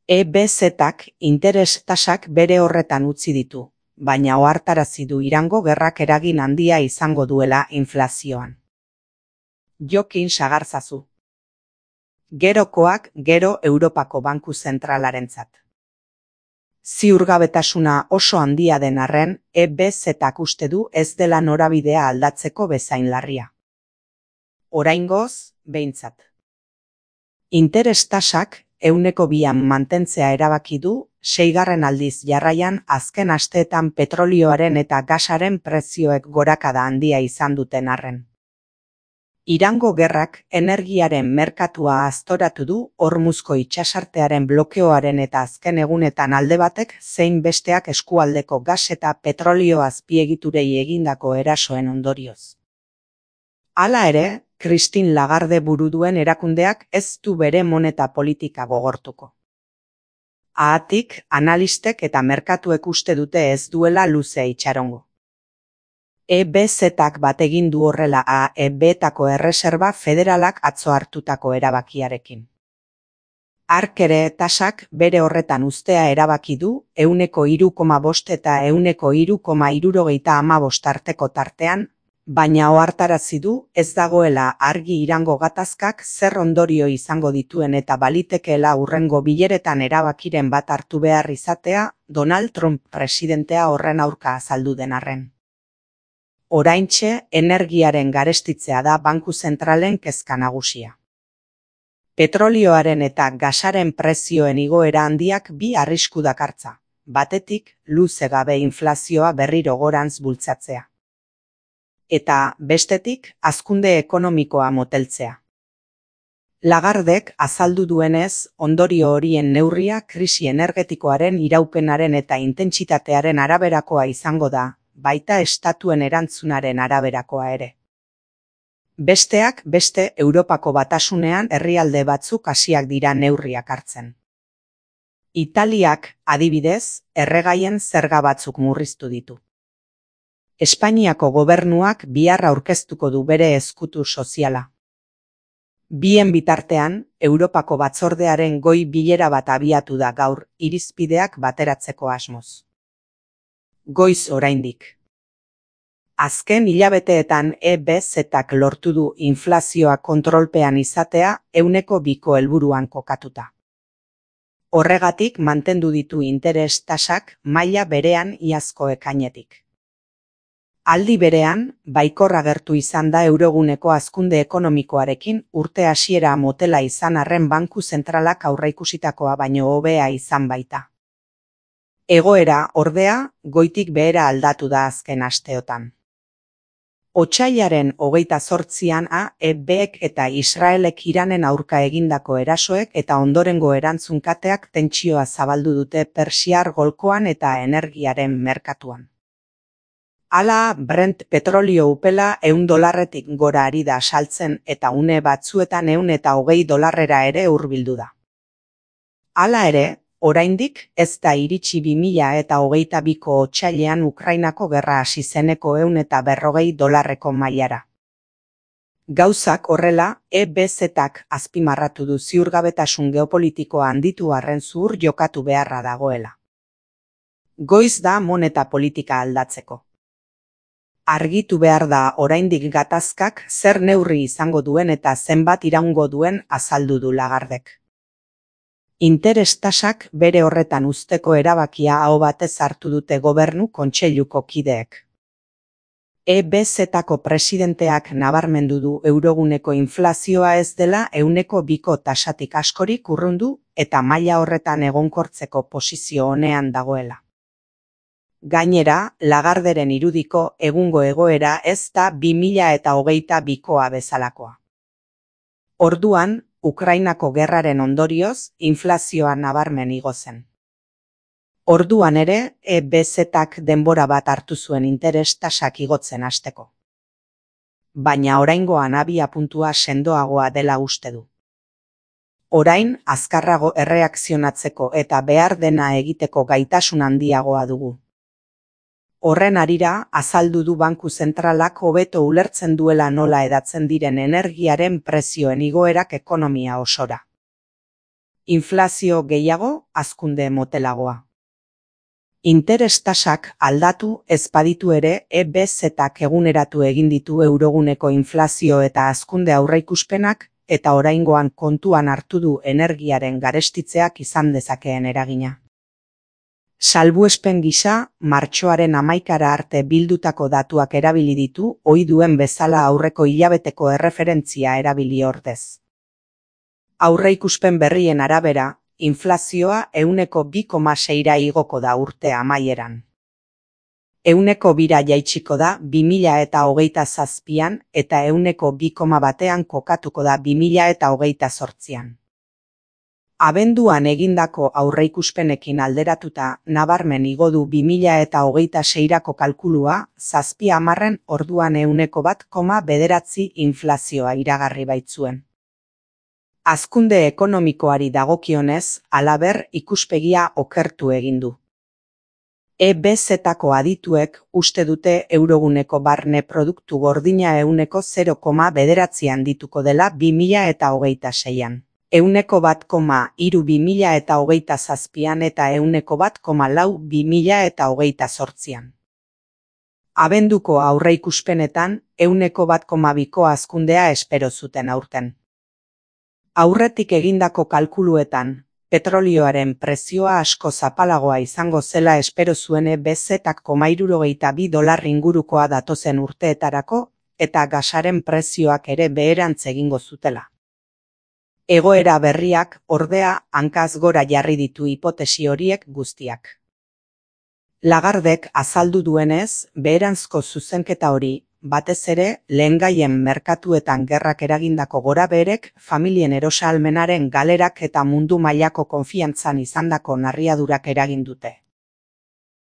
EBZ-ak interes tasak bere horretan utzi ditu, baina ohartarazi du Irango gerrak eragin handia izango duela inflazioan. Jokin sagarzazu. Gerokoak gero Europako Banku Zentralarentzat. Ziurgabetasuna oso handia den arren, EBZ-ak uste du ez dela norabidea aldatzeko bezain larria. Oraingoz, behintzat. Interes tasak 2an mantentzea erabaki du, 6. aldiz jarraian azken asteetan petrolioaren eta gasaren prezioek gorakada handia izan duten arren. Irango gerrak energiaren merkatua aztoratu du Hormuzko itsasartearen blokeoaren eta azken egunetan alde batek zein besteak eskualdeko gas eta petrolio azpiegiturei egindako erasoen ondorioz. Hala ere, Christine Lagarde buru duen erakundeak ez du bere moneta politika gogortuko. Haatik, analistek eta merkatuek uste dute ez duela luzea itxarongo. EBZ-ak bat egin du horrela AEB-etako erreserba federalak atzo hartutako erabakiarekin. Hark ere tasak bere horretan uztea erabaki du 3,5 eta 3,75 arteko tartean, baina ohartarazi du ez dagoela argi Irango gatazkak zer ondorio izango dituen eta balitekeela hurrengo bileretan erabakiren bat hartu behar izatea Donald Trump presidentea horren aurka azaldu den arren. Oraintxe energiaren garestitzea da banku zentralen kezka nagusia. Petrolioaren eta gasaren prezioen igoera handiak bi arrisku dakartza, batetik luze gabe inflazioa berriro gorantz bultzatzea. Eta bestetik hazkunde ekonomikoa moteltzea. Lagardek azaldu duenez, ondorio horien neurria krisi energetikoaren iraupenaren eta intentsitatearen araberakoa izango da, baita estatuen erantzunaren araberakoa ere. Besteak beste Europako Batasunean herrialde batzuk hasiak dira neurriak hartzen. Italiak, adibidez, erregaien zerga batzuk murriztu ditu. Espainiako gobernuak bihar aurkeztuko du bere ezkutu soziala. Bien bitartean, Europako Batzordearen goi bilera bat abiatu da gaur irizpideak bateratzeko asmoz. Goiz oraindik. Azken hilabeteetan EBZ-ak lortu du inflazioa kontrolpean izatea 2ko helburuan kokatuta. Horregatik mantendu ditu interes tasak maila berean iazko ekainetik. Aldi berean, baikor agertu izan da euroguneko hazkunde ekonomikoarekin urte hasiera motela izan arren banku zentralak aurreikusitakoa baino hobea izan baita. Egoera, ordea, goitik behera aldatu da azken asteotan. Otsailaren 28an AEB-ek eta Israelek Iranen aurka egindako erasoek eta ondorengo erantzunkateak tentsioa zabaldu dute Persiar golkoan eta energiaren merkatuan. Hala, Brent petrolio upela $100 gora ari da saltzen eta une batzuetan $120 ere hurbildu da. Hala ere, oraindik ez da iritsi 2022ko otsailean Ukrainako gerra hasi zeneko $140ko mailara. Gauzak horrela, EBZ-ak azpimarratu du ziurgabetasun geopolitikoa handitu arren zuhur jokatu beharra dagoela. Goiz da moneta politika aldatzeko. Argitu behar da oraindik gatazkak zer neurri izango duen eta zenbat iraungo duen azaldu du Lagardek. Interes tasak bere horretan uzteko erabakia aho batez hartu dute gobernu kontseiluko kideek. EBZ-ako presidenteak nabarmendu du euroguneko inflazioa ez dela 2ko tasatik askorik urrundu eta maila horretan egonkortzeko posizio onean dagoela. Gainera, Lagarderen irudiko egungo egoera ez da 2022koa bezalakoa. Orduan, Ukrainako gerraren ondorioz, inflazioa nabarmen igo zen. Orduan ere, EBZ-ak denbora bat hartu zuen interes tasak igotzen hasteko. Baina oraingoan abiapuntua sendoagoa dela uste du. Orain, azkarrago erreakzionatzeko eta behar dena egiteko gaitasun handiagoa dugu. Horren harira, azaldu du banku zentralak hobeto ulertzen duela nola edatzen diren energiaren prezioen igoerak ekonomia osora. Inflazio gehiago, hazkunde motelagoa. Interes tasak aldatu ez baditu ere, EBZ-ak eguneratu egin ditu euroguneko inflazio eta hazkunde aurreikuspenak, eta oraingoan kontuan hartu du energiaren garestitzeak izan dezakeen eragina. Salbuespen gisa, martxoaren 11 arte bildutako datuak erabili ditu, ohi duen bezala aurreko hilabeteko erreferentzia erabili ordez. Aurreikuspen berrien arabera, inflazioa 2,6ra igoko da urte amaieran. 2,2ra jaitsiko da 2027an eta 2,1an kokatuko da 2028an. Abenduan egindako aurreikuspenekin alderatuta nabarmen igo du 2026rako kalkulua 7/10 orduan 1,9 inflazioa iragarri baitzuen. Hazkunde ekonomikoari dagokionez, halaber ikuspegia okertu egin du. EBZ-ako adituek uste dute euroguneko barne produktu gordina 0,9 handituko dela 2026an. 1,3 2027an eta 1,4 2028an. Abenduko aurreikuspenetan 1,2ko hazkundea espero zuten aurten. Aurretik egindako kalkuluetan, petrolioaren prezioa asko zapalagoa izango zela espero zuen EBZ-ak $72 ingurukoa datozen urteetarako, eta gasaren prezioak ere beherantz egingo zutela. Egoera berriak, ordea, hankaz gora jarri ditu hipotesi horiek guztiak. Lagardek azaldu duenez, beheranzko zuzenketa hori, batez ere, lehengaien merkatuetan gerrak eragindako gorabeherek, familien erosahalmenaren galerak eta mundu mailako konfiantzan izandako narriadurak eragin dute.